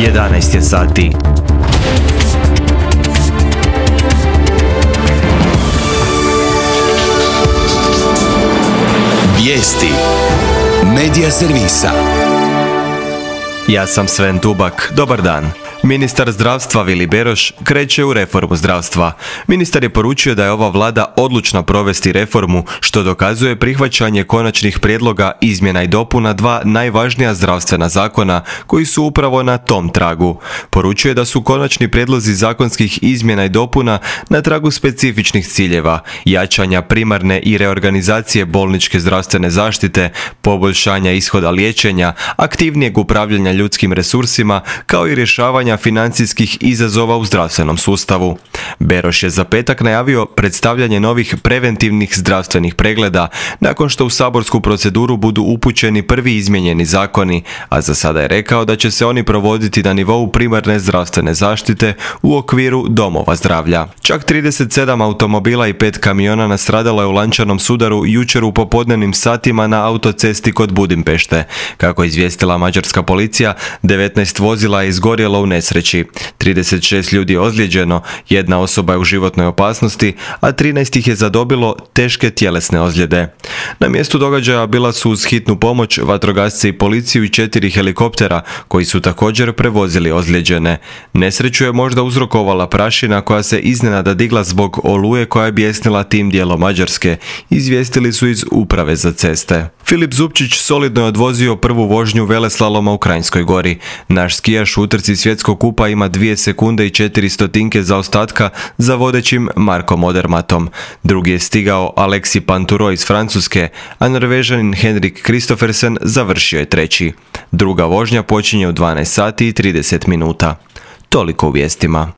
11 je sati. Vijesti Medija servisa. Ja sam Sven Tubak. Dobar dan. Ministar zdravstva Vili Beroš kreće u reformu zdravstva. Ministar je poručio da je ova vlada odlučna provesti reformu, što dokazuje prihvaćanje konačnih prijedloga izmjena i dopuna dva najvažnija zdravstvena zakona koji su upravo na tom tragu. Poručuje da su konačni prijedlozi zakonskih izmjena i dopuna na tragu specifičnih ciljeva, jačanja primarne i reorganizacije bolničke zdravstvene zaštite, poboljšanja ishoda liječenja, aktivnijeg upravljanja ljudskim resursima, kao i rješavanja financijskih izazova u zdravstvenom sustavu. Beroš je za petak najavio predstavljanje novih preventivnih zdravstvenih pregleda nakon što u saborsku proceduru budu upućeni prvi izmijenjeni zakoni, a za sada je rekao da će se oni provoditi na nivou primarne zdravstvene zaštite u okviru domova zdravlja. Čak 37 automobila i 5 kamiona nastradalo je u lančanom sudaru jučer u popodnevnim satima na autocesti kod Budimpešte. Kako je izvijestila mađarska policija, 19 vozila je izgorjelo u nesreći. 36 ljudi je ozlijeđeno, jedna osoba je u životnoj opasnosti, a 13 ih je zadobilo teške tjelesne ozljede. Na mjestu događaja bila su uz hitnu pomoć vatrogasci i policiju i 4 helikoptera koji su također prevozili ozlijeđene. Nesreću je možda uzrokovala prašina koja se iznenada digla zbog oluje koja je bijesnila tim dijelom Mađarske, izvijestili su iz Uprave za ceste. Filip Zupčić solidno je odvozio prvu vožnju veleslaloma u Kranjskoj Gori. Naš skijaš u utrci svjetskog kupa ima 2 sekunde i 4 stotinke zaostatka za vodećim Markom Odermatom. Drugi je stigao Alexis Pinturo iz Francuske, a Norvežanin Henrik Kristoffersen završio je treći. Druga vožnja počinje u 12 sati i 30 minuta. Toliko u vijestima.